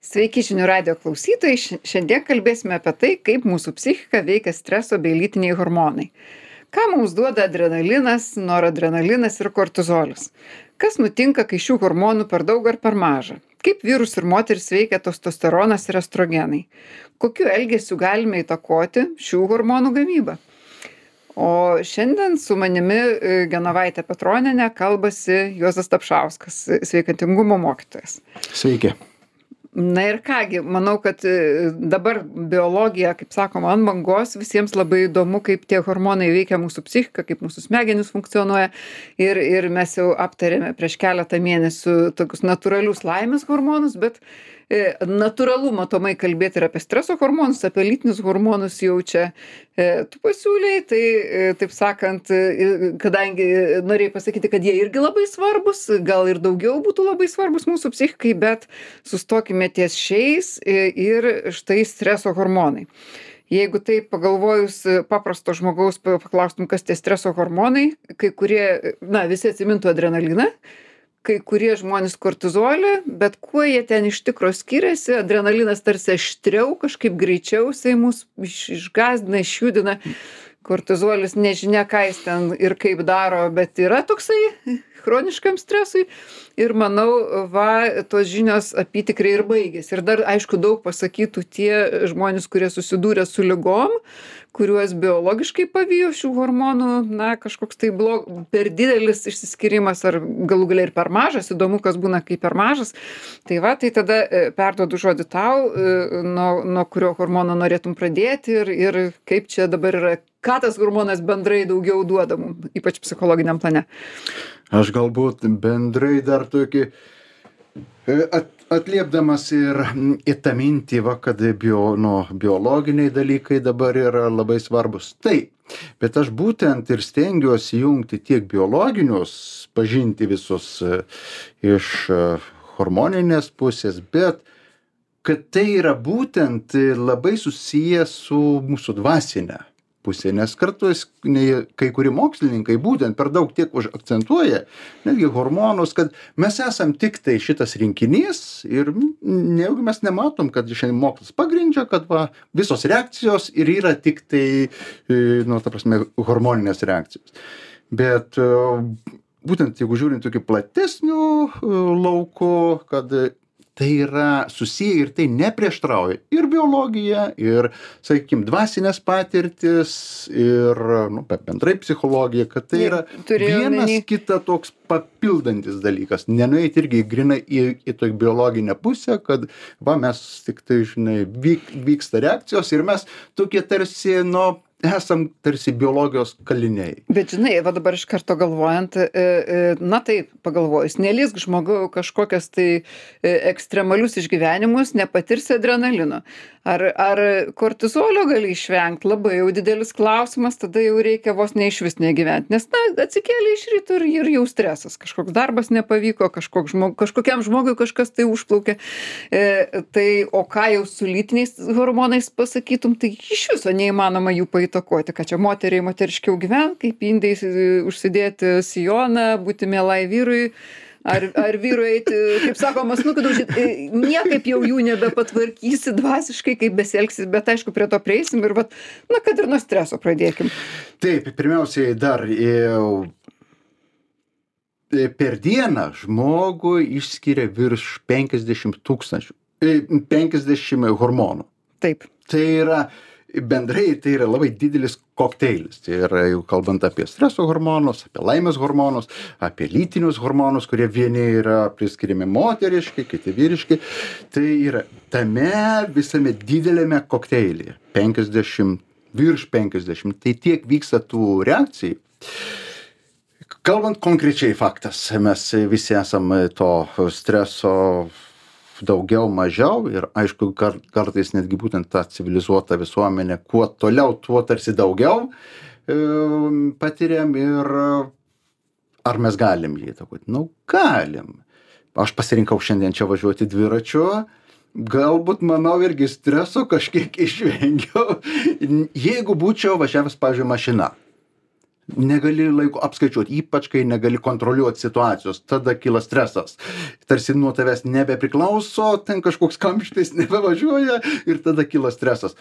Sveiki žinių radijo klausytojai. Šiandien kalbėsime apie tai, kaip mūsų psichiką veikia streso bei lytiniai hormonai. Ką mums duoda adrenalinas, noradrenalinas ir kortizolis? Kas nutinka, kai šių hormonų per daug ar per maža? Kaip vyrus ir moteris veikia testosteronas ir estrogenai? Kokiu elgesiu galime įtakoti šių hormonų gamybą? O šiandien su manimi Genovaitė Petronienė kalbasi Juozas Tapšauskas, sveikatingumo mokytojas. Sveiki. Na ir kągi, manau, kad dabar biologija, kaip sakoma, ant bangos, visiems labai įdomu, kaip tie hormonai veikia mūsų psichiką, kaip mūsų smegenys funkcionuoja. Ir mes jau aptarėme prieš keletą mėnesių tokius natūralius laimės hormonus, bet natūralu matomai kalbėti ir apie streso hormonus, apie lytinius hormonus jau čia tu pasiūlei, tai taip sakant, kadangi norėjai pasakyti, kad jie irgi labai svarbus, gal ir daugiau būtų labai svarbus mūsų psichikai, bet sustokime ties šiais ir štai streso hormonai. Jeigu taip pagalvojus paprasto žmogaus paklaustum, kas tie streso hormonai, kai kurie, visi atsimintų adrenaliną, kai kurie žmonės kortizolį, bet kuo jie ten iš tikro skiriasi, adrenalinas tarsi aštriau, kažkaip greičiau jisai mus išgąsdina, išjudina, kortizolis nežinia, ką jis ten ir kaip daro, bet yra toksai chroniškam stresui ir manau, tos žinios apytikriai ir baigėsi. Ir dar, aišku, daug pasakytų tie žmonės, kurie susidūrė su ligom, kuriuos biologiškai pavijo šių hormonų, kažkoks tai per didelis išsiskyrimas ar galų gale ir per mažas, įdomu, kas būna, kai per mažas. Tai tada perduodu žodį tau, nuo kurio hormono norėtum pradėti ir kaip čia dabar yra, ką tas hormonas bendrai daugiau duoda mums, ypač psichologiniam plane. Aš galbūt bendrai dar tokį atliepdamas ir į tą mintį, kad biologiniai dalykai dabar yra labai svarbus. Taip, bet aš būtent ir stengiuosi jungti tiek biologinius, pažinti visus iš hormoninės pusės, bet kad tai yra būtent labai susiję su mūsų dvasinė pusė, nes kartais kai kurie mokslininkai būtent per daug tiek akcentuoja, netgi hormonus, kad mes esam tik tai šitas rinkinys ir nejaugi mes nematom, kad šiandien mokslas pagrindžia, kad visos reakcijos ir yra tik tai, hormoninės reakcijos. Bet būtent jeigu žiūrint tokiu platesniu lauku, kad tai yra susiję ir tai neprieštrauja ir biologija, ir, sakykime, dvasinės patirtis, ir bendrai psichologija, kad tai yra vienas kitą toks papildantis dalykas. Nenueiti irgi grinai į tokį biologinę pusę, kad mes tik tai, vyksta reakcijos ir mes tokie tarsi, esam tarsi biologijos kaliniai. Bet dabar iš karto galvojant, taip pagalvojus, nelysk žmogau kažkokias tai ekstremalius išgyvenimus, nepatirsi adrenalino. Ar kortizolio gali išvengti, labai jau didelis klausimas, tada jau reikia vos neišvis negyventi. Nes atsikėlė iš ryto ir jau stresas, kažkoks darbas nepavyko, kažkokiam žmogui kažkas tai užplaukė. O ką jau su lytiniais hormonais pasakytum, tai iš viso neįmanoma jų įtakoti, kad čia moteriškiau gyventi, kaip indai užsidėti sijoną, būti mielai vyrui, ar vyrui eiti, kaip sakoma, snukį daužyti, niekaip jau jų nebepatvarkysi dvasiškai, kaip besielgsis, bet aišku, prie to prieisim ir kad ir nuo streso pradėkim. Taip, pirmiausiai dar per dieną žmogų išskiria virš 50 hormonų. Taip. Tai yra bendrai tai yra labai didelis kokteilis. Tai yra jau kalbant apie streso hormonus, apie laimės hormonus, apie lytinius hormonus, kurie vieni yra priskiriami moteriški, kiti vyriški. Tai yra tame visame didelėme kokteilyje. Virš 50. Tai tiek vyksta tų reakcijų. Kalbant konkrečiai faktas, mes visi esame to streso daugiau, mažiau ir aišku, kartais netgi būtent ta civilizuota visuomenė, kuo toliau, tuo tarsi daugiau patiriam ir ar mes galim jį įtakoti? Galim. Aš pasirinkau šiandien čia važiuoti dviračiu, galbūt, manau, irgi streso kažkiek išvengiau, jeigu būčiau važiavęs, pavyzdžiui, mašina. negali laiko apskaičiuoti, ypač kai negali kontroliuoti situacijos, tada kyla stresas. Tarsi nuo tavęs nebepriklauso, ten kažkoks kamštis nebevažiuoja ir tada kyla stresas.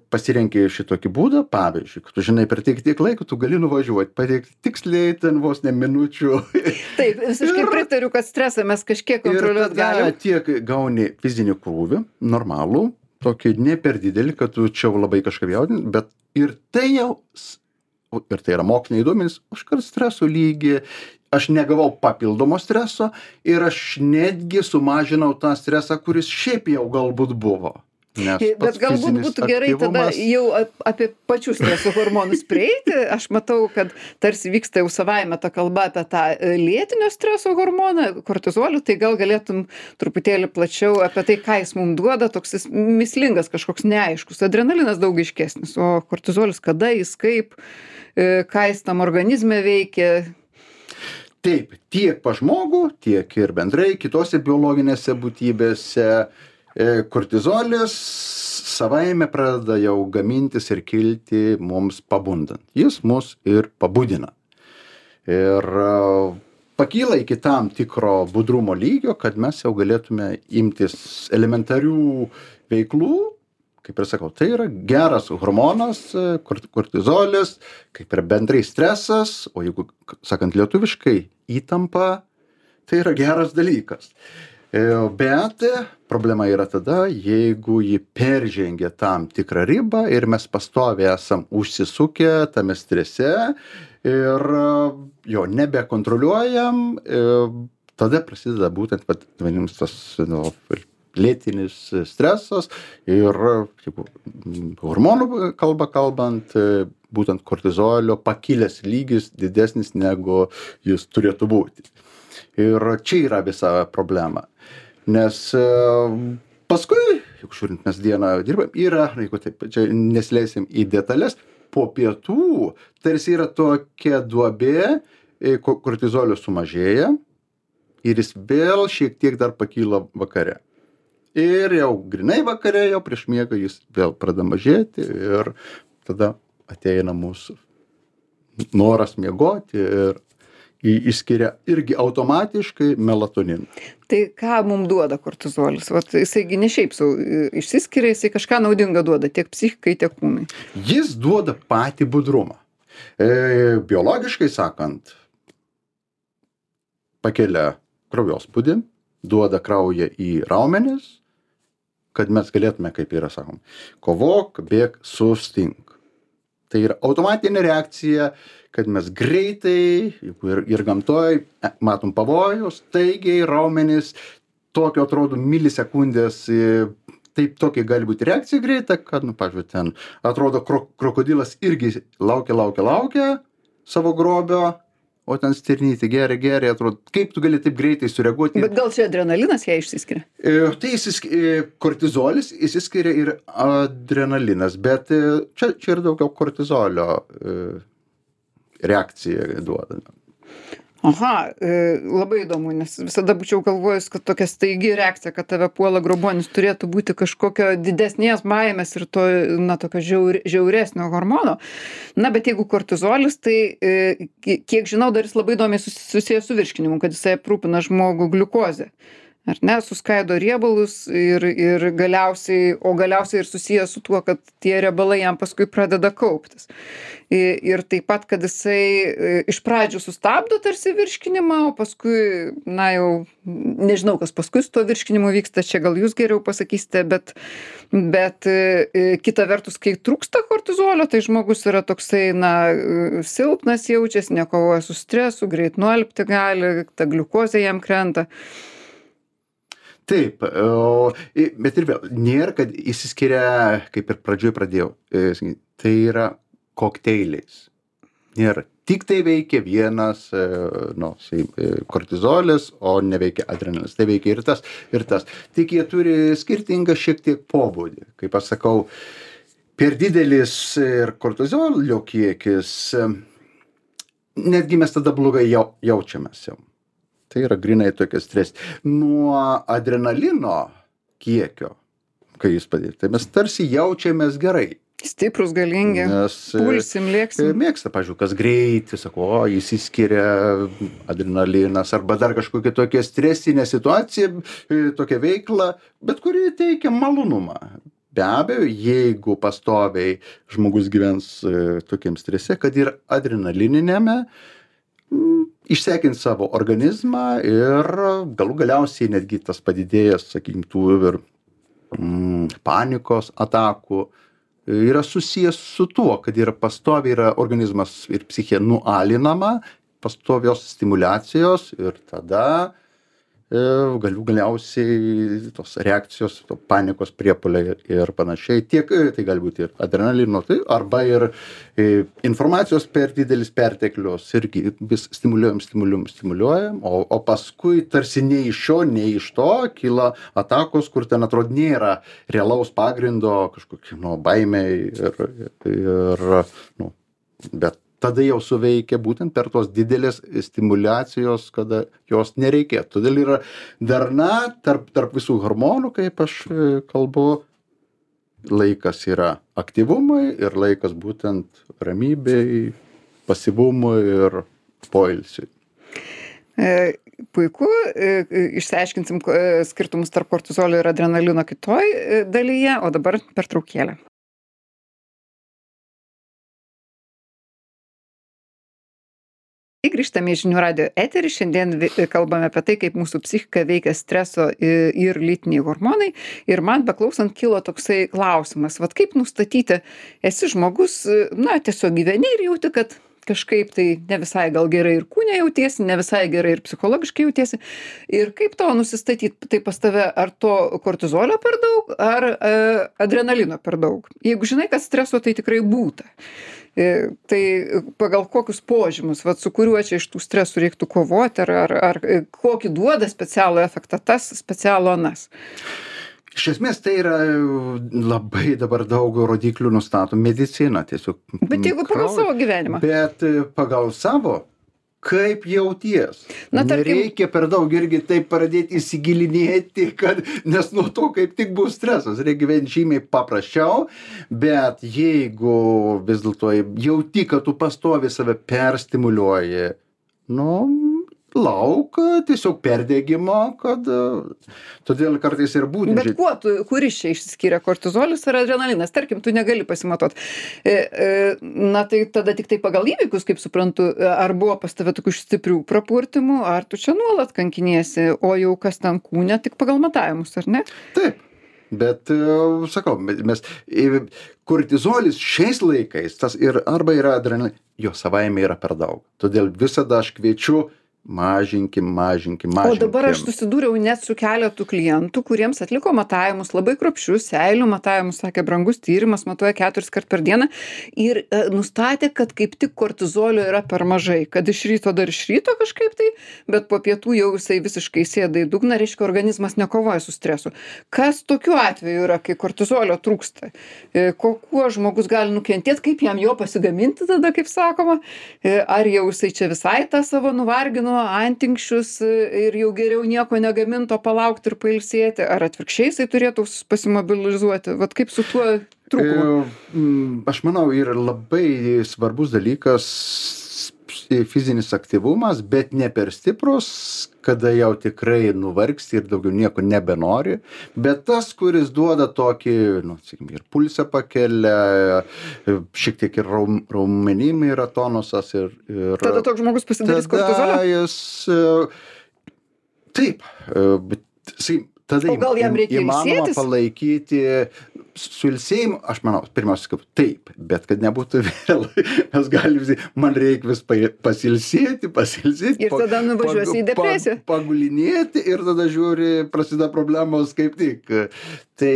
Pasirenki šitokį būdą, pavyzdžiui, kad tu žinai, per tiek laiko tu gali nuvažiuoti, pateikti tiksliai ten vos ne minučių. Taip, visiškai pritariu, kad stresą mes kažkiek kontroliuoti galim. Ir tiek gauni fizinį krūvį, normalų, tokį ne per didelį, kad tu čia labai kažką jaudini, bet ir tai jau, ir tai yra moksliniai duomenys, užkart streso lygį, aš negavau papildomo streso ir aš netgi sumažinau tą stresą, kuris šiaip jau galbūt buvo. Bet galbūt būtų gerai tada jau apie pačius streso hormonus prieiti. Aš matau, kad tarsi vyksta jau savaime ta kalba apie tą lėtinio streso hormoną, kortizolių, tai gal galėtum truputėlį plačiau apie tai, ką jis mums duoda, toks jis mįslingas, kažkoks neaiškus. Adrenalinas daug aiškesnis, o kortizolis kada jis kaip, ką jis tam organizme veikia. Taip, tiek pas žmogų, tiek ir bendrai kitose biologinėse būtybėse. Kortizolis savaime pradeda jau gamintis ir kilti mums pabundant. Jis mus ir pabudina. Ir pakyla iki tam tikro budrumo lygio, kad mes jau galėtume imtis elementarių veiklų. Kaip ir sakau, tai yra geras hormonas, kortizolis, kaip ir bendrai stresas, o jeigu, sakant lietuviškai, įtampa, tai yra geras dalykas. Bet problema yra tada, jeigu ji peržengia tam tikrą ribą ir mes pastoviai esam užsisukę tame strese ir jo nebekontroliuojam, tada prasideda būtent vadinamas tas lėtinis stresas ir hormonų kalbant, būtent kortizolio pakilęs lygis didesnis negu jis turėtų būti. Ir čia yra visa problema. Nes paskui, juk žiūrint, mes dieną dirbam, yra, jeigu taip, čia nesileisim į detalės, po pietų tarsi yra tokia duobė, kortizolio sumažėja ir jis vėl šiek tiek dar pakyla vakare. Ir jau grinai vakare, jau prieš miegą jis vėl pradeda mažėti ir tada ateina mūsų noras miegoti ir išskiria irgi automatiškai melatoniną. Tai ką mums duoda kortizolis? Vat jisaigi ne šiaip sau išsiskiria, jisai kažką naudinga duoda tiek psichikai, tiek kūnui. Jis duoda patį budrumą. Biologiškai sakant, pakelia kraujospūdį, duoda kraują į raumenis, kad mes galėtume, kaip yra sakom, kovok, bėk, sustink. Tai yra automatinė reakcija, kad mes greitai ir gamtoj matom pavojus, staigiai raumenys, tokio atrodo milisekundės, taip tokia gali būti reakcija greita, kad, pavyzdžiui, ten atrodo krokodilas irgi laukia savo grobio, o ten stirnytė geria, atrodo, kaip tu gali taip greitai sureaguoti. Bet gal čia adrenalinas ją išsiskiria? Tai kortizolis išsiskiria ir adrenalinas, bet čia yra daugiau kortizolio reakcija duoda. Aha, labai įdomu, nes visada būčiau galvojus, kad tokia staigi reakcija, kad tave puola grobuonis, turėtų būti kažkokio didesnės baimės ir to, tokio žiauresnio hormono. Na, bet jeigu kortizolis, tai kiek žinau, dar jis labai įdomiai susijęs su virškinimu, kad jisai aprūpina žmogų gliukozę. Ar ne, suskaido riebalus ir galiausiai ir susijęs su tuo, kad tie riebalai jam paskui pradeda kauptis. Ir taip pat, kad jisai iš pradžių sustabdo tarsi virškinimą, o paskui, jau nežinau, kas paskui su to virškinimu vyksta, čia gal jūs geriau pasakysite, bet kita vertus, kai trūksta kortizolio, tai žmogus yra toksai, silpnas jaučiasi, nekovoja su stresu, greit nualpti gali, ta gliukozė jam krenta. Taip, bet ir vėl, nėra, kad išsiskiria, kaip ir pradžioj pradėjau, tai yra kokteiliais. Nėra, tik tai veikia vienas kortizolis, o neveikia adrenalinas. Tai veikia ir tas. Tik jie turi skirtingą šiek tiek pobūdį. Kaip aš sakau, per didelis ir kortizolio kiekis, netgi mes tada blogai jaučiamės jau. Tai yra grinai tokia stres. Nuo adrenalino kiekio, kai jis padės, tai mes tarsi jaučiamės gerai. Stiprūs, galingi, Nes pulsim, lėksim. mėgsta, pavyzdžiui, kas greitį, sako, o, išsiskiria adrenalinas arba dar kažkokia tokia stresinė situacija, tokia veikla, bet kuri teikia malonumą. Be abejo, jeigu pastoviai žmogus gyvens tokiam strese, kad ir adrenalininėme, išsekins savo organizmą ir galų galiausiai netgi tas padidėjęs, sakykim, tų ir panikos atakų yra susijęs su tuo, kad yra pastoviai yra organizmas ir psichė nualinama, pastovios stimuliacijos ir tada galiausiai tos reakcijos, to panikos priepuoliai ir panašiai. Tiek tai gali būti ir adrenalino, tai arba ir informacijos per didelis perteklius irgi vis stimuliuojam, o paskui tarsi nei iš šio, nei iš to kyla atakos, kur ten atrodo nėra realaus pagrindo kažkokie baimiai ir bet tada jau suveikia būtent per tos didelės stimuliacijos, kada jos nereikėtų. Todėl yra darna tarp visų hormonų, kaip aš kalbu, laikas yra aktyvumui ir laikas būtent ramybei, pasyvumui ir poilsiui. Puiku, išsiaiškinsim skirtumus tarp kortizolio ir adrenalino kitoj dalyje, o dabar pertraukėlė. Grįžtame į Žinių radijo eterį. Šiandien kalbame apie tai, kaip mūsų psichika veikia streso ir lytiniai hormonai. Ir man beklausant kilo toksai klausimas, vat kaip nustatyti, esi žmogus, tiesiog gyveni ir jauti, kad kažkaip tai ne visai gal gerai ir kūne jautiesi, ne visai gerai ir psichologiškai jautiesi. Ir kaip to nusistatyti, tai pas tave ar to kortizolio per daug, ar adrenalino per daug. Jeigu žinai, kad streso tai tikrai būta. Tai pagal kokius požymus, su kuriuo čia iš tų stresų reiktų kovoti, ar kokį duoda specialų efektą tas, specialų anas? Iš esmės tai yra labai dabar daug rodiklių nustato medicina tiesiog. Bet jeigu pagal savo gyvenimą? Bet pagal savo, kaip jauties. Nereikia per daug irgi taip pradėti įsigilinėti, nes nuo to kaip tik bus stresas. Reikia gyventi žymiai paprasčiau, bet jeigu vis dėlto jauti, kad tu pastovi save perstimuliuoji, lauk tiesiog perdegimo, todėl kartais ir būtent. Bet kuris čia išsiskiria, kortizolis ar adrenalinas? Tarkim, tu negali pasimatuot. Tai tada tik tai pagal įvykius, kaip suprantu, ar buvo pas tave tokių stiprių prapurtimų, ar tu čia nuolat kankiniesi, o jau kas ten kūne, tik pagal matavimus, ar ne? Taip. Bet, sakau, mes kortizolis šiais laikais, tas ir arba yra adrenalinas, jo savaime yra per daug. Todėl visada aš kviečiu mažinkim. O dabar aš susidūriau net su keletu klientų, kuriems atliko matavimus, labai kruopščius, seilių matavimus, sakė, brangus tyrimas, matuoja 4 kart per dieną ir nustatė, kad kaip tik kortizolio yra per mažai, kad iš ryto kažkaip tai, bet po pietų jau jisai visiškai sėda į dugną, reiškia, organizmas nekovoja su stresu. Kas tokiu atveju yra, kai kortizolio trūksta? Kuo žmogus gali nukentėti, kaip jam jo pasigaminti tada, kaip sakoma, ar jau jisai čia visai tą savo nuvargino antinkščius ir jau geriau nieko negaminto palaukti ir pailsėti, ar atvirkščiai jisai turėtų pasimobilizuoti? Vat kaip su tuo trūkumu? Aš manau, yra labai svarbus dalykas fizinis aktyvumas, bet ne per stiprus, kada jau tikrai nuvargsti ir daugiau nieko nebenori, bet tas, kuris duoda tokį, sakykime, ir pulsą pakelia, šiek tiek ir raumenim yra tonusas ir tada toks žmogus pasidarys kortizolio? Taip, bet tada įmanoma palaikyti su ilsėjimu, aš manau, pirmiausia, kaip taip, bet kad nebūtų vėl, mes galime, man reikia vis pasilsėti. Ir tada nuvažiuosi į depresiją. Pagulinėti ir tada žiūri, prasideda problemos kaip tik. Tai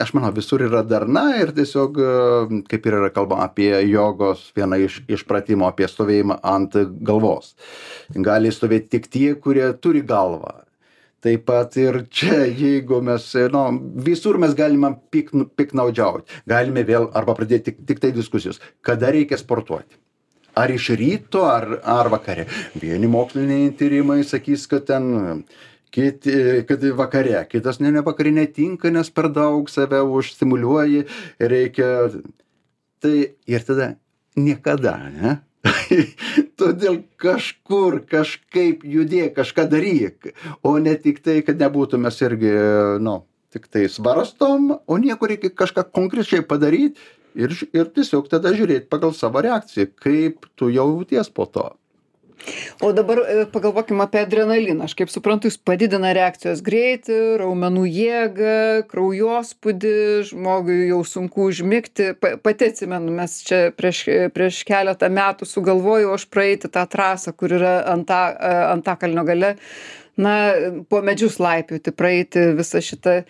aš manau, visur yra darna ir tiesiog, kaip ir yra kalbama apie jogos, vieną iš pratimų apie stovėjimą ant galvos. Gali stovėti tik tie, kurie turi galvą. Taip pat ir čia, jeigu mes, visur mes galime piknaudžiauti. Galime vėl arba pradėti tik tai diskusijos. Kada reikia sportuoti? Ar iš ryto, ar vakare? Vieni moksliniai tyrimai sakys, kad ten kad vakare, kitas ne vakare netinka, nes per daug save užstimuliuoji, reikia. Tai ir tada niekada, ne? Todėl kažkur, kažkaip judėk, kažką daryk, o ne tik tai, kad nebūtų mes irgi, tik tai svarstom, o nieko reikia kažką konkrečiai padaryti ir tiesiog tada žiūrėti pagal savo reakciją, kaip tu jauties po to. O dabar pagalvokim apie adrenaliną. Aš kaip suprantu, jis padidina reakcijos greitį, raumenų jėgą, kraujospūdį, žmogui jau sunku užmigti. Pati atsimenu, mes čia prieš keletą metų sugalvojau aš praeiti tą trasą, kur yra Antakalnio gale. Po medžius laipioti, praeiti visą šitą.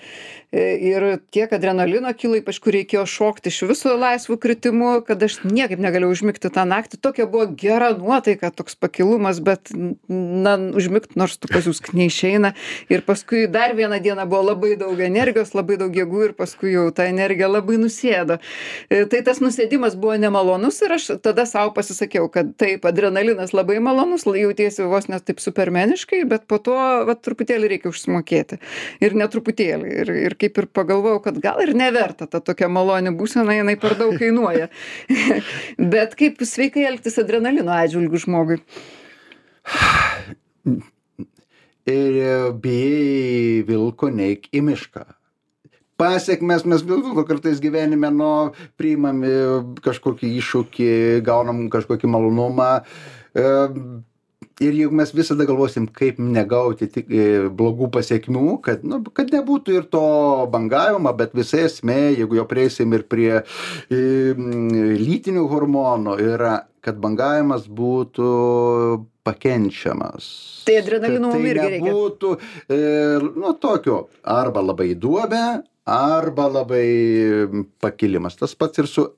Ir tiek adrenalino kilo, ypač kur reikėjo šokti iš viso laisvų kritimų, kad aš niekaip negalėjau užmigti tą naktį. Tokia buvo gera nuotaika, toks pakilumas, bet užmigti nors tu pasiusk neišeina. Ir paskui dar vieną dieną buvo labai daug energijos, labai daug jėgų ir paskui jau ta energija labai nusėdo. Tai tas nusėdimas buvo nemalonus ir aš tada savo pasisakiau, kad taip, adrenalinas labai malonus, jautiesi vos net taip supermeniškai, bet po to truputėlį reikia užsimokėti. Ir netruputėlį. Ir kaip ir pagalvojau, kad gal ir neverta ta tokia maloni būsena, jinai per daug kainuoja. Bet kaip sveikai elgtis adrenalino atžvilgiu žmogui? Ir bijai vilko, neik į mišką. Pasiekmes mes vilko kartais gyvenime, priimami kažkokį iššūkį, gaunam kažkokį malonumą. Ir jeigu mes visada galvosim, kaip negauti tik blogų pasiekmių, kad nebūtų ir to bangavimo, bet visa esmė, jeigu jau prieisim ir prie lytinių hormonų, yra, kad bangavimas būtų pakenčiamas. Tai adrenalino mum irgi reikia. Tai nebūtų, tokio, arba labai duobę, arba labai pakilimas. Tas pats ir su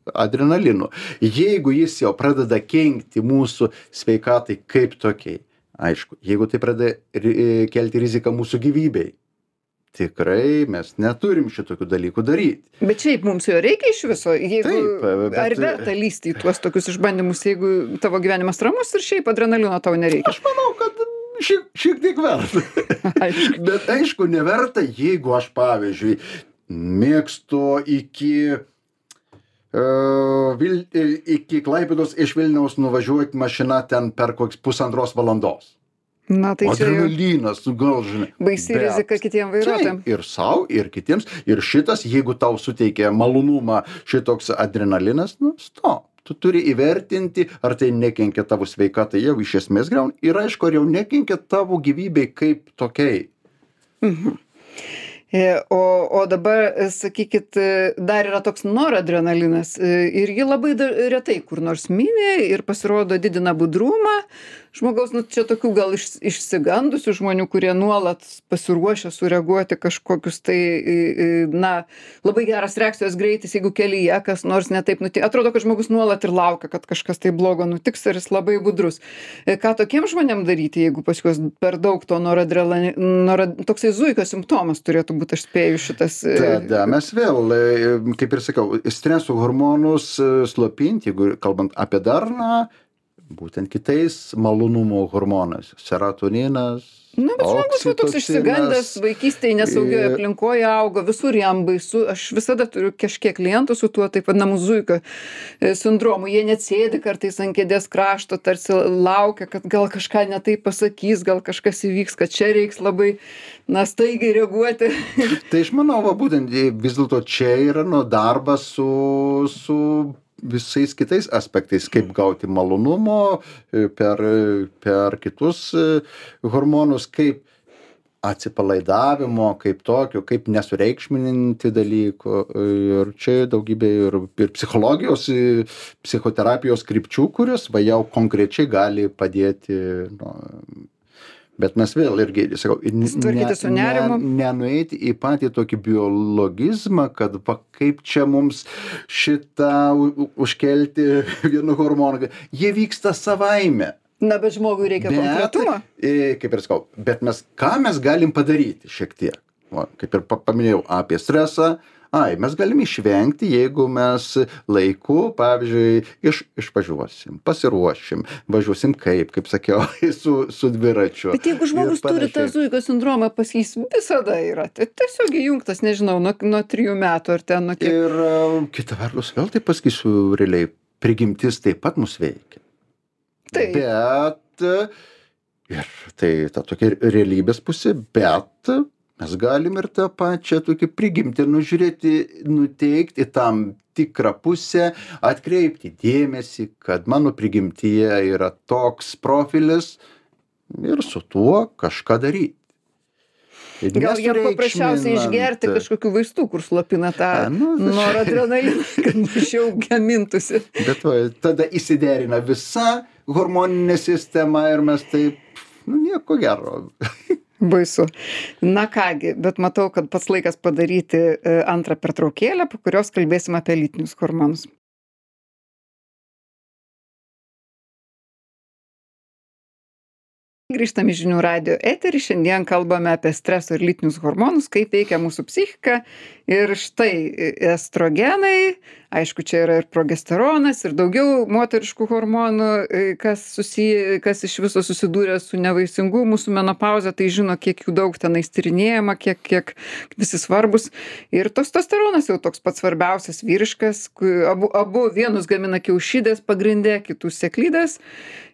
adrenalinu. Jeigu jis jau pradeda kenkti mūsų sveikatai kaip tokiai, aišku, jeigu tai pradeda kelti riziką mūsų gyvybei, tikrai mes neturim šitokių dalykų daryti. Bet šiaip mums jo reikia iš viso, ar verta lysti į tuos tokius išbandymus, jeigu tavo gyvenimas ramus ir šiaip adrenalino tau nereikia? Aš manau, kad šiek tiek verta. Bet aišku, neverta, jeigu aš, pavyzdžiui, mėgstu iki Klaipėdos iš Vilniaus nuvažiuoti mašina ten per koks 1,5 valandos. Tai adrenalinas, gal žinai. Baisi rizika kitiem vairuotojam. Ir sau, ir kitiems. Ir šitas, jeigu tau suteikia malonumą šitoks adrenalinas, stop. Tu turi įvertinti, ar tai nekenkia tavo sveikatai, jau iš esmės griauna. Ir aišku, ar jau nekenkia tavo gyvybei kaip tokiai. O dabar, sakykit, dar yra toks noradrenalinas ir jį labai retai kur nors mini ir pasirodo didina budrumą. Žmogaus, čia tokių gal išsigandusių žmonių, kurie nuolat pasiruošia sureaguoti kažkokius tai, labai geras reakcijos greitis, jeigu kelyje kas nors netaip nutinka. Atrodo, kad žmogus nuolat ir laukia, kad kažkas tai blogo nutiks ir jis labai budrus. Ką tokiem žmonėm daryti, jeigu pas juos per daug to toksai zuikio simptomas turėtų būti, aš spėju šitas. Tada mes vėl, kaip ir sakiau, streso hormonus slopinti, jeigu kalbant apie darną, būtent kitais malonumo hormonais. Serotoninas, bet žmogus toks išsigandęs, vaikystėje nesaugioje aplinkoje augo, visur jam baisu. Aš visada turiu kažkiek klientų su tuo taip vadinamu zuikio sindromu. Jie net sėdi kartais ant kėdės krašto, tarsi laukia, kad gal kažką ne taip pasakys, gal kažkas įvyks, kad čia reiks labai staigiai reaguoti. Tai aš manau, būtent vis dėlto čia yra darbas su visais kitais aspektais, kaip gauti malonumo per kitus hormonus, kaip atsipalaidavimo, kaip tokio, kaip nesureikšmininti dalykų. Ir čia daugybė ir psichologijos, psichoterapijos krypčių, kurios jau konkrečiai gali padėti. Bet mes vėl irgi, sakau, nenueiti į patį tokį biologizmą, kad kaip čia mums šitą užkelti vienu hormonu. Jie vyksta savaime. Bet žmogui reikia konkretumo. Kaip ir sakau, bet ką mes galim padaryti šiek tiek? Kaip ir paminėjau apie stresą, Mes galim išvengti, jeigu mes laiku, pavyzdžiui, išvažiuosim, pasiruošim, važiuosim kaip sakiau, su dviračiu. Bet jeigu žmogus turi tą zuikio sindromą, pas jis visada yra. Tiesiog įjungtas, nežinau, nuo 3 metų ar ten nuo kiek. Ir kita vertus, vėl tai pasakysiu realiai, prigimtis taip pat mus veikia. Taip. Bet, ir tai ta tokia realybės pusė, bet mes galim ir tą pačią tokį prigimtį nužiūrėti, nuteikti į tam tikrą pusę, atkreipti dėmesį, kad mano prigimtyje yra toks profilis ir su tuo kažką daryti. Gal jam paprasčiausiai išgerti kažkokių vaistų, kur slopina tą noradrenaliną, kad mažiau gamintųsi. Bet tada įsiderina visa hormoninė sistema ir mes taip, nieko gero. Baisu. Na kągi, bet matau, kad pats laikas padaryti antrą pertraukėlę, po kurios kalbėsim apie lytinius hormonus. Grįžtam į žinių radijo eterį, šiandien kalbame apie streso ir lytinius hormonus, kaip veikia mūsų psichika. Ir štai estrogenai, aišku, čia yra ir progesteronas, ir daugiau moteriškų hormonų, kas iš viso susidūrė su nevaisingumu, su menopauze, tai žino, kiek jų daug tenais tyrinėjama, kiek visi svarbus. Ir testosteronas jau toks pats svarbiausias vyriškas, abu vienus gamina kiaušidės pagrindė, kitus sėklidės.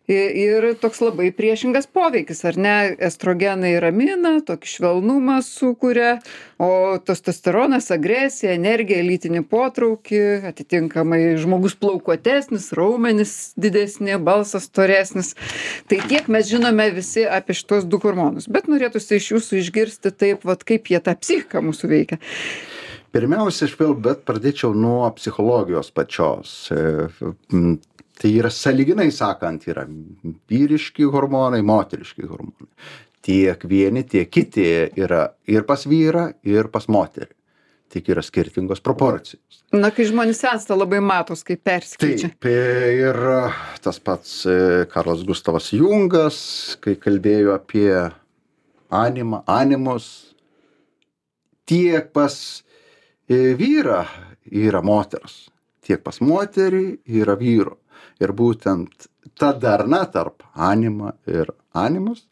Ir toks labai priešingas poveikis, ar ne? Estrogenai ramina, tokį švelnumą sukuria, o testosteronas agresiją, energiją, lytinį potraukį, atitinkamai žmogus plaukuotesnis, raumenys didesni, balsas storesnis. Tai tiek mes žinome visi apie šitos du hormonus, bet norėtųsi iš jūsų išgirsti taip, kaip jie tą psichiką mūsų veikia. Pirmiausia, bet pradėčiau nuo psichologijos pačios. Tai yra sąlyginai sakant, yra vyriški hormonai, moteriški hormonai. Tiek vieni, tiek kiti yra ir pas vyrą, ir pas moterį. Tik yra skirtingos proporcijos. Na, kai žmonės sensta, labai matos, kaip persikeičia. Taip, ir tas pats Karlas Gustavas Jungas, kai kalbėjo apie animus, tiek pas vyrą yra moters, tiek pas moterį yra vyro. Ir būtent ta darna tarp anima ir animus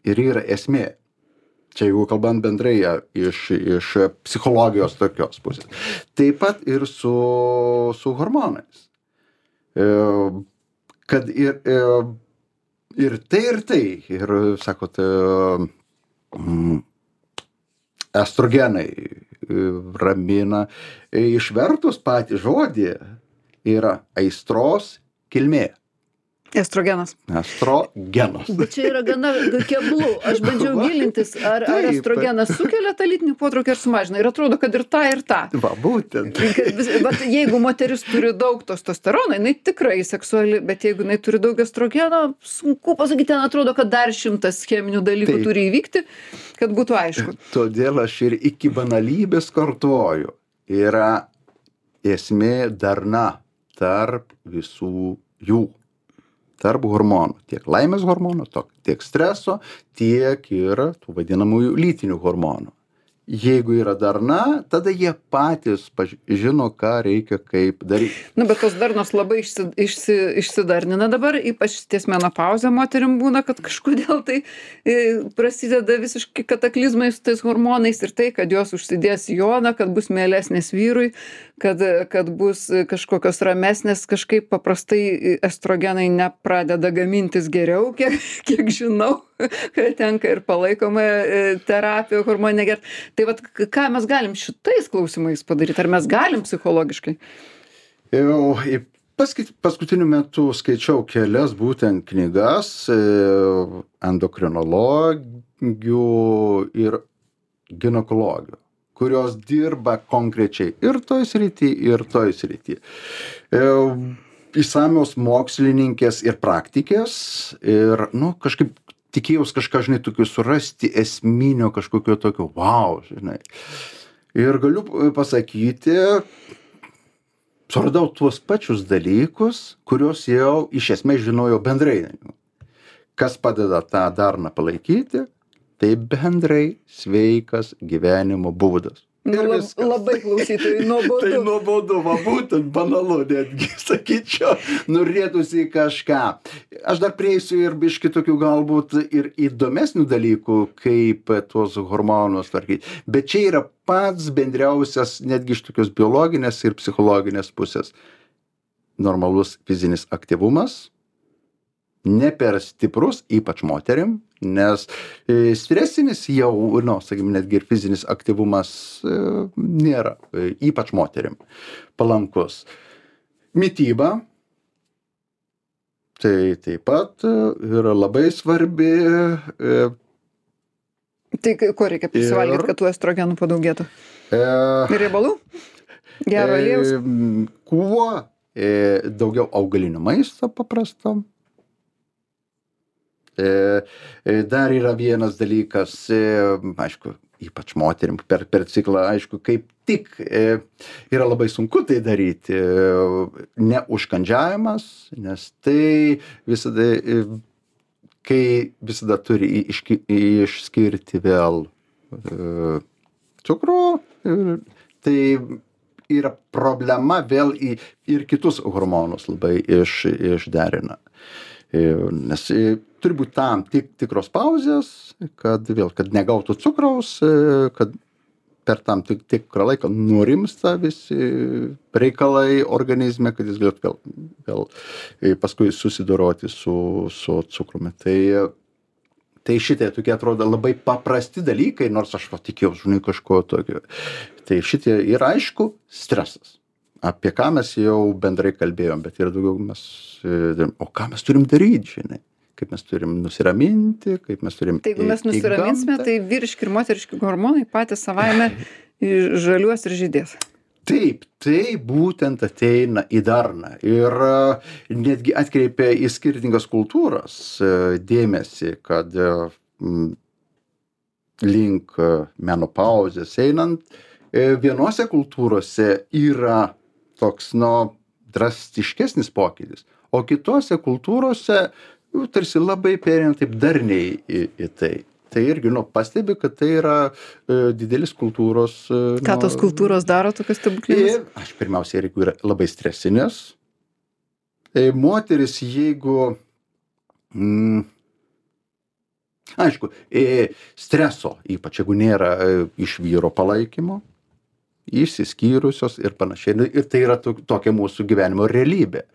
ir yra esmė. Čia jeigu kalbant bendrai iš psichologijos tokios pusės. Taip pat ir su hormonais. Kad ir tai. Ir sakot, estrogenai ramina. Išvertus patį žodį yra aistros kilmė. Estrogenas. Estrogenas. Bet čia yra gana keblu. Aš bandžiau gilintis, ar estrogenas sukelia tą lytinį potraukį ar sumažina. Ir atrodo, kad ir tą. Va, būtent. Bet jeigu moteris turi daug testosterono, jinai tikrai seksuali, bet jeigu jinai turi daug estrogeno, sunku pasakyti, ten atrodo, kad dar 100 cheminių dalykų turi įvykti, kad būtų aišku. Todėl aš ir iki banalybės kartuoju. Yra esmė darna tarp visų jų. Tarp hormonų. Tiek laimės hormonų, tiek streso, tiek ir tų vadinamųjų lytinių hormonų. Jeigu yra darna, tada jie patys žino, ką reikia, kaip daryti. Bet tos darnos labai išsidarnina dabar, ypač ties menopauzė moterim būna, kad kažkodėl tai prasideda visiškai kataklizmai su tais hormonais ir tai, kad jos užsidės joną, kad bus mielesnės vyrui, kad bus kažkokios ramesnės, kažkaip paprastai estrogenai nepradeda gamintis geriau, kiek žinau, kad tenka ir palaikoma terapija hormoninė gert. Tai vat, ką mes galim šitais klausimais padaryti? Ar mes galim psichologiškai? Paskutiniu metu skaičiau kelias būtent knygas endokrinologių ir ginekologių, kurios dirba konkrečiai ir toj srity, ir toj srity. Išsamios mokslininkės ir praktikės ir, kažkaip tikėjaus kažką, tokio surasti esminio kažkokio tokio, Ir galiu pasakyti, suradau tuos pačius dalykus, kuriuos jau iš esmės žinojau bendrai. Kas padeda tą darną palaikyti, tai bendrai sveikas gyvenimo būdas. Nu, Ir viskas. labai klausytojai Tai nuobodu. nuobodu, va būtent banalu netgi, sakyčiau, norėtųsi kažką. Aš dar prieisiu ir biški tokių galbūt ir įdomesnių dalykų, kaip tuos hormonus tvarkyti. Bet čia yra pats bendriausias netgi iš tokios biologinės ir psichologinės pusės. Normalus fizinis aktyvumas, ne per stiprus, ypač moterim, nes stresinis jau, sakykime, netgi ir fizinis aktyvumas nėra, ypač moterim, palankus. Mityba, tai taip pat yra labai svarbi. Tai ko reikia prisivalgyti, kad tų estrogenų padaugėtų? Riebalų? Gero aliejaus? Kuo daugiau augalinio maisto paprasto. Dar yra vienas dalykas, aišku, ypač moterim per ciklą, aišku, kaip tik yra labai sunku tai daryti, neužkandžiavimas, nes tai visada, kai visada turi išskirti vėl cukrų, tai yra problema vėl ir kitus hormonus labai išderina. Nes turi būti tam tikros pauzės, kad negautų cukraus, kad per tam tikrą laiką nurimsta visi reikalai organizme, kad jis galėtų vėl paskui susidoroti su cukrumi. Tai šitie tokie atrodo labai paprasti dalykai, nors aš tikėjau, žinai, kažko tokio. Tai šitie yra, aišku, stresas. Apie ką mes jau bendrai kalbėjom, bet yra daugiau o ką mes turim daryti, žinai, kaip mes turim nusiraminti, kaip mes turim Tai jeigu mes nusiraminsime, tai vyriški ir moteriški hormonai patys savaime žaliuos ir žydės. Taip, tai būtent ateina į darną ir netgi atkreipia į skirtingas kultūras dėmesį, kad link menopauzės einant, vienose kultūrose yra toks, drastiškesnis pokytis, o kitose kultūrose tarsi labai perina taip darniai į tai. Tai irgi, pastebi, kad tai yra didelis kultūros... Ką tos kultūros daro tokios stebuklinės? Aš pirmiausia, jeigu yra labai stresinės, moteris, jeigu... Aišku, streso, ypač jeigu nėra iš vyro palaikymo, išsiskyrusios ir panašiai. Ir tai yra tokia mūsų gyvenimo realybė.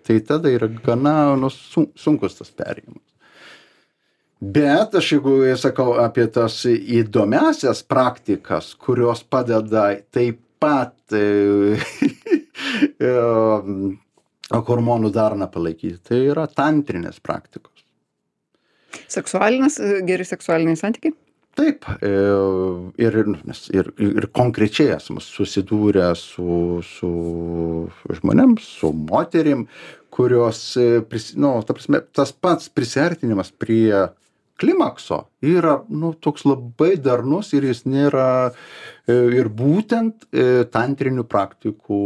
Tai tada yra gana sunkus tas perėjimas. Bet aš jeigu sakau apie tas įdomiasias praktikas, kurios padeda taip pat hormonų darną palaikyti, tai yra tantrinės praktikos. Geri seksualiniai santykiai? Taip, ir konkrečiai esame susidūrę su žmonėms, su moterim, kurios, ta prasme, tas pats prisiartinimas prie klimakso yra, toks labai darnus ir jis nėra ir būtent tantrinių praktikų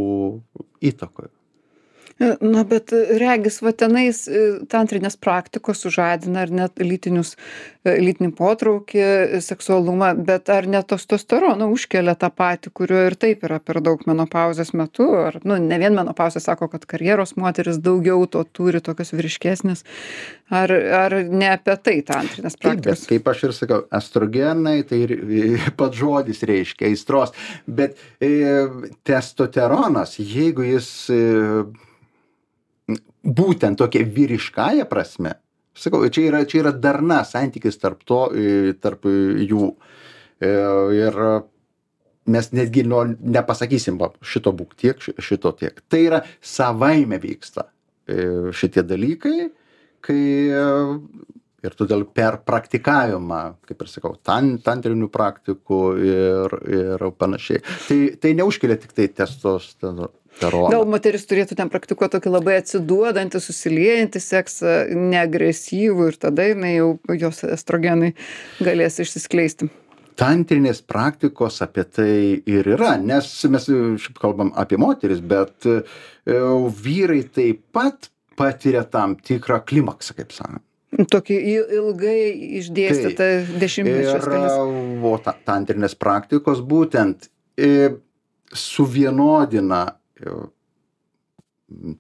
įtakoje. Na, bet regis, va tenais tantrinės praktikos sužadina ar net lytinį potraukį, seksualumą, bet ar net testosteroną užkelia tą patį, kurio ir taip yra per daug menopauzės metu, ar, ne vien menopauzė sako, kad karjeros moteris daugiau to turi, tokios vyriškesnės, ar ne apie tai tantrinės praktikos? Taip, bet kaip aš ir sakau, estrogenai, tai pats žodis reiškia aistros, bet testosteronas, jeigu jis būtent tokia vyriškąja prasme, sakau, čia yra darna santykis tarp jų. Ir mes netgi nepasakysim, šito būk tiek, šito tiek. Tai yra savaime vyksta šitie dalykai, ir todėl per praktikavimą, kaip ir sakau, tantrinių praktikų ir panašiai. Tai neužkelia tik tai testosteroną. Gal moteris turėtų ten praktikuoti tokį labai atsiduodantį, susiliejantį seksą, neagresyvų ir tada jos estrogenai galės išsiskleisti. Tantrinės praktikos apie tai ir yra, nes mes šiaip kalbam apie moteris, bet vyrai taip pat patiria tam tikrą klimaksą, kaip sakant. Tokį ilgai išdėstytą dešimtmečius. O tantrinės praktikos būtent suvienodina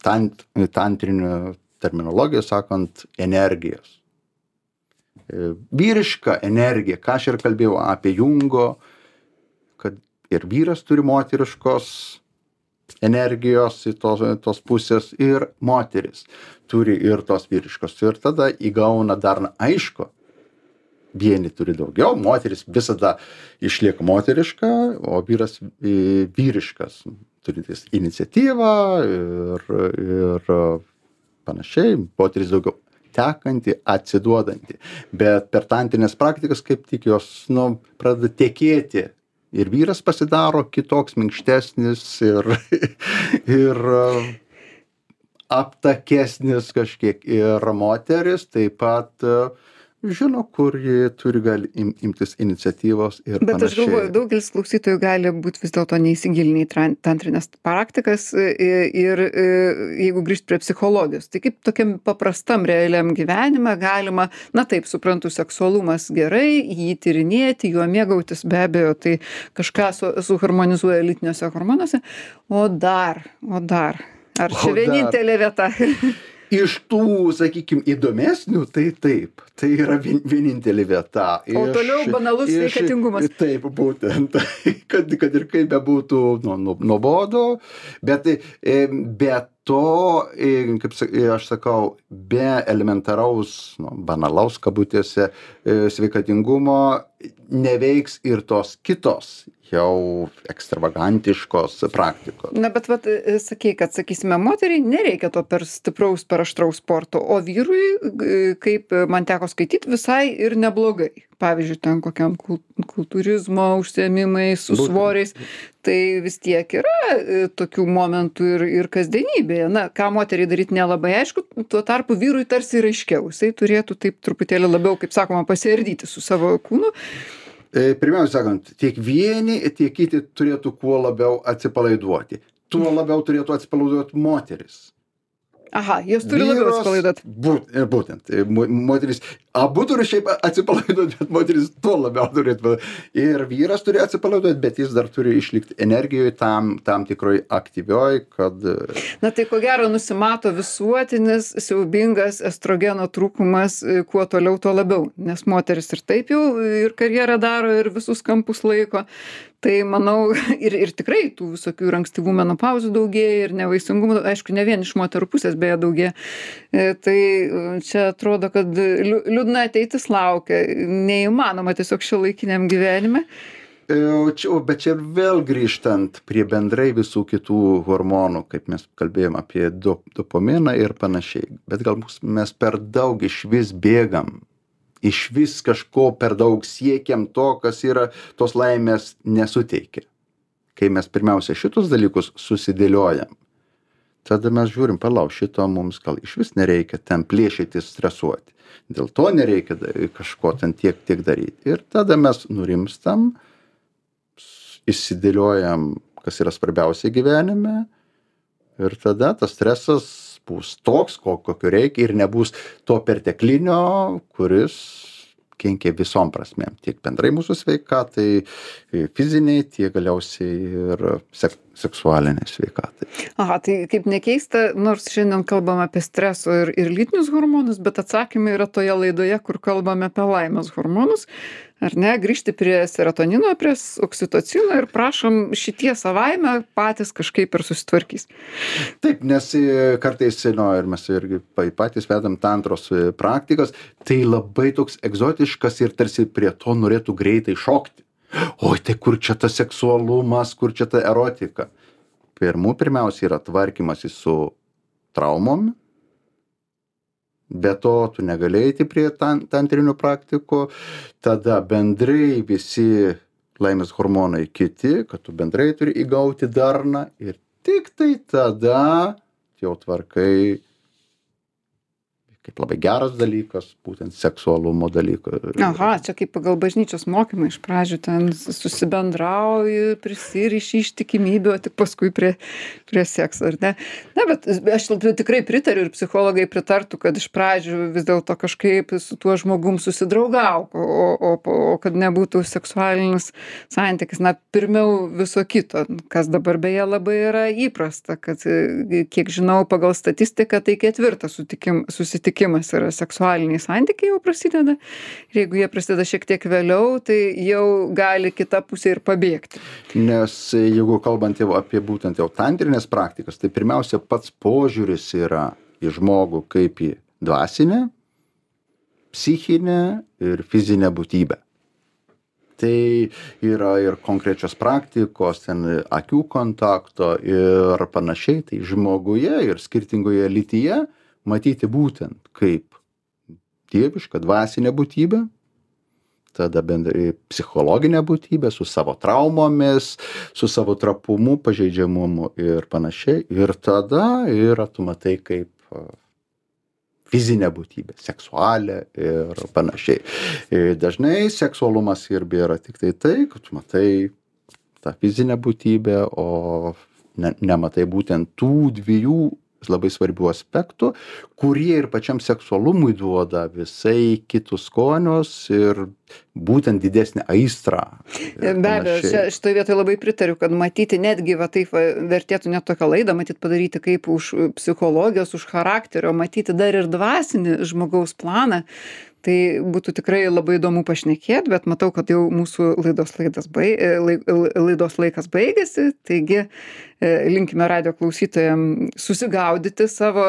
tantrinių terminologijų sakant energijos. Vyriška energija, ką aš ir kalbėjau apie Jungo, kad ir vyras turi moteriškos energijos į tos pusės ir moteris turi ir tos vyriškos. Ir tada įgauna dar, aišku, vieni turi daugiau, moteris visada išlieka moteriška, o vyras vyriškas, turintis iniciatyvą ir panašiai, moteris daugiau tekanti, atsiduodanti. Bet per tantrinės praktikas kaip tik jos, pradeda tekėti. Ir vyras pasidaro kitoks, minkštesnis ir aptakesnis kažkiek. Ir moteris taip pat žino, kur ji turi gali imtis iniciatyvos ir Bet panašiai. aš galvoju, daugelis klausytojų gali būti vis dėlto neįsigilinę į tantrinės praktikas ir jeigu grįžt prie psichologijos, tai kaip tokiam paprastam realiam gyvenime galima, na taip, suprantu, seksualumas gerai, jį tyrinėti, juo mėgautis, be abejo, tai kažką suharmonizuoja lytiniuose hormonuose, o dar, ar čia vienintelė vieta? Iš tų, sakykime, įdomesnių, tai taip, tai yra vienintelė vieta. O toliau banalus sveikatingumas. Taip, būtent, kad ir kaip bebūtų nuobodu, bet to, kaip aš sakau, be elementaraus, banalaus kabutėse sveikatingumo neveiks ir tos kitos jau ekstravagantiškos praktikos. Na, bet sakei, kad, sakysime, moteriai nereikia to per stipraus, per aštraus sporto, o vyrui, kaip man teko skaityti, visai ir neblogai. Pavyzdžiui, ten kokiam kultūrizmo užsiėmimai su svoriais, tai vis tiek yra tokių momentų ir kasdienybėje. Na, ką moteriai daryti nelabai aišku, tuo tarpu vyrui tarsi ir aiškiau. Jisai turėtų taip truputėlį labiau, kaip sakoma, pasiardyti su savo kūnu. Pirmiausia sakant, tiek vieni, tiek kiti turėtų kuo labiau atsipalaiduoti. Tuo labiau turėtų atsipalaiduoti moteris. Aha, jos turi labiau atsipalaiduoti. Būtent. Moteris, abu turi šiaip atsipalaiduoti, bet moteris tuo labiau turėtų. Ir vyras turi atsipalaiduoti, bet jis dar turi išlikti energijoje tam tikroj aktyvioj, kad... Na tai ko gero nusimato visuotinis, siaubingas estrogeno trūkumas, kuo toliau, tuo labiau. Nes moteris ir taip jau ir karjerą daro, ir visus kampus laiko. Tai manau, ir tikrai tų visokių ir ankstyvų menopauzių daugėja, ir nevaisingumų, aišku, ne vien iš moterų pusės beje daugėja. Tai čia atrodo, kad liūdna ateitis laukia, neįmanoma tiesiog šiuolaikiniam gyvenime. Bet čia vėl grįžtant prie bendrai visų kitų hormonų, kaip mes kalbėjom apie dopaminą ir panašiai. Bet gal mes per daug išvis bėgam. Išvis kažko per daug siekiam to, kas yra tos laimės nesuteikia. Kai mes pirmiausia šitus dalykus susidėliojam, tada mes žiūrim, šito mums gal išvis nereikia ten plėšyti, stresuoti. Dėl to nereikia kažko ten tiek daryti. Ir tada mes nurimstam, išsidėliojam, kas yra svarbiausia gyvenime, ir tada tas stresas bus toks, kokio reikia, ir nebus to perteklinio, kuris kenkia visom prasmėm. Tiek bendrai mūsų sveikatai, fiziniai, tiek galiausiai ir seksualiniai sveikatai. Aha, tai kaip nekeista, nors šiandien kalbam apie streso ir lytinius hormonus, bet atsakymai yra toje laidoje, kur kalbame apie laimės hormonus. Ar ne, grįžti prie serotonino, prie oksitocino ir prašom šitie savaime patys kažkaip ir susitvarkys. Taip, nes kartais, ir mes irgi patys vedam tantros praktikas, tai labai toks egzotiškas ir tarsi prie to norėtų greitai šokti. Oi, tai kur čia tas seksualumas, kur čia ta erotika? Pirmiausia yra tvarkymasis su traumom. Be to, tu negali eiti prie tantrinių praktikų, tada bendrai visi laimės hormonai kiti, kad tu bendrai turi įgauti darną ir tik tai tada jau tvarkai, kaip labai geras dalykas, būtent seksualumo dalyką. Aha, čia kaip pagal bažnyčios mokymą iš pradžių ten susibendrauji, prisiriši ištikimybę, o tik paskui prie sekso, ar ne? Na, bet aš tikrai pritariu ir psichologai pritartų, kad iš pradžių vis dėlto kažkaip su tuo žmogum susidraugauk, o kad nebūtų seksualinis santykis. Na, pirmiau viso kito, kas dabar beje labai yra įprasta, kad kiek žinau pagal statistiką, tai 4 susitikimas yra seksualiniai santykiai jau prasideda. Ir jeigu jie prasideda šiek tiek vėliau, tai jau gali kita pusė ir pabėgti. Nes jeigu kalbant jau apie būtent jau tantrinės praktikas, tai pirmiausia pats požiūris yra į žmogų kaip į dvasinę, psichinę ir fizinę būtybę. Tai yra ir konkrečios praktikos, ten akių kontakto ir panašiai, tai žmoguje ir skirtingoje lytyje matyti būtent kaip dievišką dvasinę būtybę, tada bendrai psichologinę būtybę su savo traumomis, su savo trapumu, pažeidžiamumu ir panašiai. Ir tada tu matai kaip fizinę būtybę, seksualią ir panašiai. Ir dažnai seksualumas irgi yra tik tai, kad tu matai tą fizinę būtybę, o nematai būtent tų dviejų labai svarbių aspektų, kurie ir pačiam seksualumui duoda visai kitus skonius ir būtent didesnį aistrą. Be abejo, šitoje vietoje labai pritariu, kad matyti netgi taip vertėtų net tokią laidą matyti padaryti kaip už psichologijos, už charakterio, matyti dar ir dvasinį žmogaus planą. Tai būtų tikrai labai įdomu pašnekėti, bet matau, kad jau mūsų laidos laikas baigėsi, taigi linkime radijo klausytojams susigaudyti savo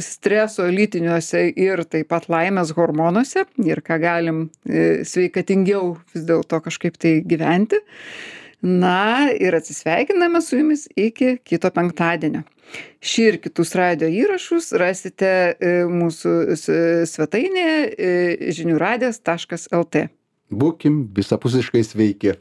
streso lytiniuose ir taip pat laimės hormonuose ir ką galim sveikatingiau vis dėlto kažkaip tai gyventi. Na ir atsisveikiname su jumis iki kito penktadienio. Šį ir kitus radijo įrašus rasite mūsų svetainėje žiniųradijas.lt. Būkim visapusiškai sveiki.